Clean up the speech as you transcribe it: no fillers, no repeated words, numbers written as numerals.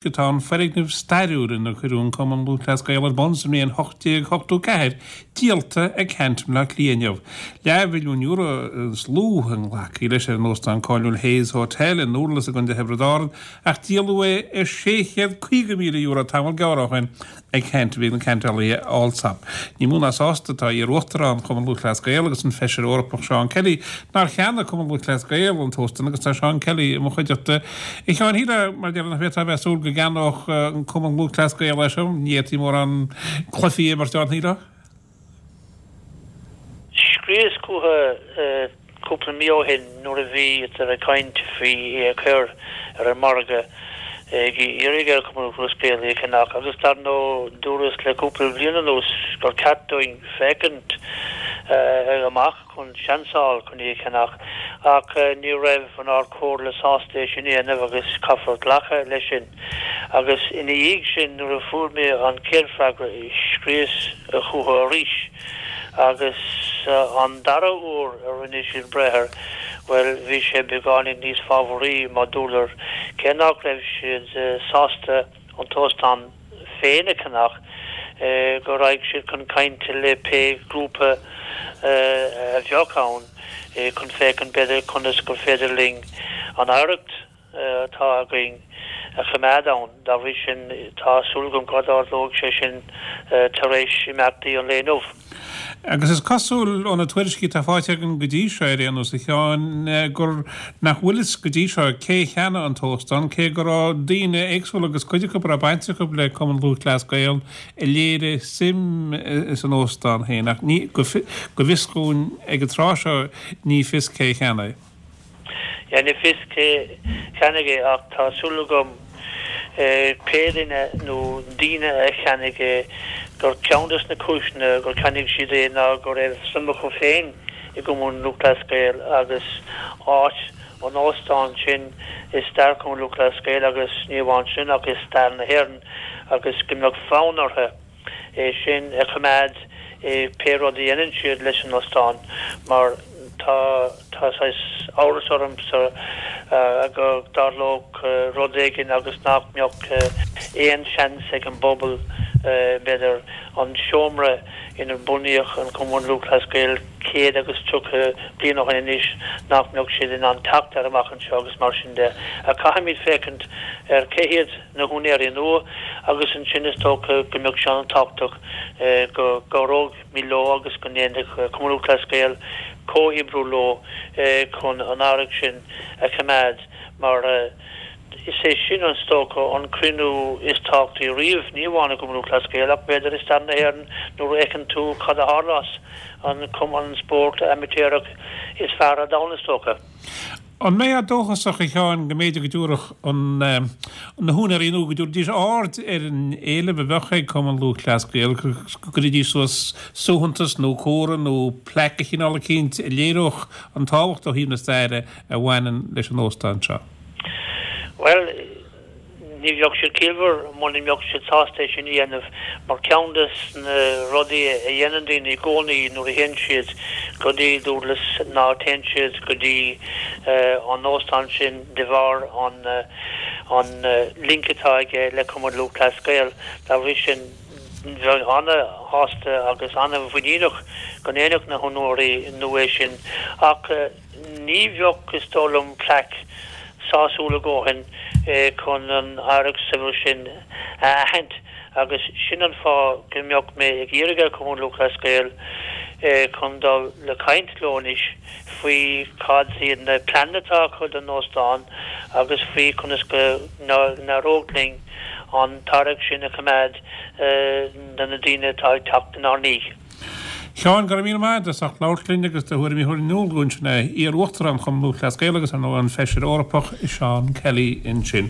Tá an foirgneamh stairiúil inar cuireadh an Cumann Lúthchleas Gael ar bun sa mbliain 1884 díolta ag Ceannt i mBleá Cliath inniu. Leathmhilliún euro is lú a nglacfaí leis ar an óstán cáiliúil Hayes Hotel i nDúrlas i gContae Thiobraid Árann ach díoladh é ar €650,000 tamall gearr ó shin ag caint a bhí ag na ceantálaithe Allsop. Ní mó ná sásta atá iar-uachtarán Chumann Lúthchleas Gael agus an Feisire Eorpach Seán Kelly nár cheannaigh Cumann Lúthchleas Gael an t-óstán agus tá Seán Kelly i mo chuideachta. A Sheáin, shílfeá, mar a déarfá, nach bhféadfá a bheith ag súil go gceannódh an Cumann Lúthchleas Gael é seo, ní fhéadfaí mórán cluichí a imirt ann, shílfeá? Scríos chucu cúpla mí ó shin nuair a bhíodar ag caint faoi é a chur ar an margadh ag iarraidh ar Chumann Lúthchleas Gael é a cheannach agus dar ndóigh dúras le cúpla bliain anuas gur ceart dúinn féachaint amach chun seans a fháil chun é a cheannach ach ní raibh an Ard Chomhairle sásta é sin a dhéanamh agus caithfear glacadh leis sin. Agus ina dhiaidh sin nuair a fuair mé an chéad freagra scríos chucu arís agus an dara huair a rinne siad breith air, bhuel bhí sé beagáinín níos fábharaí mar dúradar cé nach raibh siad sásta an t-óstán féin a cheannach, go raghadh siad chun cainte le pé grúpa a bheadh ann chun féachaint b'fhéidir conas gur féidir linn an oidhreacht atá againn a choimeád ann. Dá bhrí sin, tá súil agam go dtarlóidh sé sin tar éis imeachtaí an lae inniu. Agus is cosúil, ó na tuairiscí atá faighte againn go dtí seo ar aon nós, a Sheáin, gur nach bhfuil fhios go dtí seo cé a cheannaigh an t-óstán, cé go raibh daoine éagsúla agus cuid acu a raibh baint acu le Cumann Lúthchleas Gael a léirigh suim san óstán féin, ach ní, go bhfios dhúinn ag an tráth seo, ní fios cé a cheannaigh. Yeah, ní fios cé cheannaigh é ach tá súil agam pé duine nó daoine a cheannaigh é gur ceann des na cúiseanna gur cheannaigh siad é ná go raibh suim acu féin i gCumann Lúthchleas Gael agus áit an óstáin sin i stair Chumann Lúthchleas Gael agus ní amháin sin ach i stair na hÉireann agus go mbeadh fonn orthu é sin a choimeád i pé rud a dhéanann siad leis an ostán mar tá tá saghas amhras ormsa go dtarlódh rud éigin agus nach mbeadh aon seans ag an bpobal b'fhéidir an seomra inar bunaíodh an Cumann Lúthchleas Gael 130 bliain ó shin anois nach mbeadh siad in ann teacht air amach anseo agus mar sin de. Ach caithfimid féachaint ar cé hiad na húinéirí nua agus ansin is dócha go mbeadh sé an-tábhachtach go gcabhróimid leo agus go ndéanfadh Cumann Lúthchleas Gael comhoibriú leo chun an oidhreacht sin a choimeád mar is é sin is dócha an cruinniú is tábhachtaí riamh, ní amháin i gCumann Lúthchleas Gael ach b'fhéidir i stair na hÉireann nuair a fheiceann tú cad a tharla as an cumann spóirt amaitéarach is fearr ar domhan is dócha. An mbeifeá dóchasach, a Sheáin, go mb'fhéidir go dtabharfadh an, na húinéirí nua, go dtabharfaidís aird ar an éileamh a bheadh ag Cumann Lúthchleas Gael, go gcuirfidís suas suaitheantas nó comhartha nó plaic de chineál eicínt a léireodh an tábhacht ó thaobh na staire a bhaineann leis an óstán seo? Bhuel, Ní bheadh siad ciallmhar muna mbeadh siad sásta é sin a dhéanamh mar ceann de na rudaí a dhéanann daoine i gcónaí nuair a théann siad go dtí Dúrlas ná téann siad go dtí an óstán sin de bharr an an link atá aige le Cumann Lúthchleas Gael. Dá bhrí sin bheinn ana-shásta agus ana-mhuiníneach go ndéanfadh na húinéirí nua é sin ach Ní bheadh, is dóigh liom, plaic sásúil a dhóthain chun an oidhreacht saibhir sin a aithint agus sin an fáth go mbeadh mé ag iarraidh ar Chumann Lúthchleas Gael chun dul le caint leo anois faoi cad iad na pleananna atá acu don óstán agus faoi conas go n-éireodh linn an t-oidhreacht sin a choimeád do na daoine atá ag teacht inár ndiaidh. Sheáin, go raibh míle maith agat as ucht labhairt linn agus do thuairimí a chur in iúl dúinn. Sin é iar-Uachtarán Chumann Lúthchleas Gael agus ar ndóigh an Feisire Eorpach Seán Kelly ansin.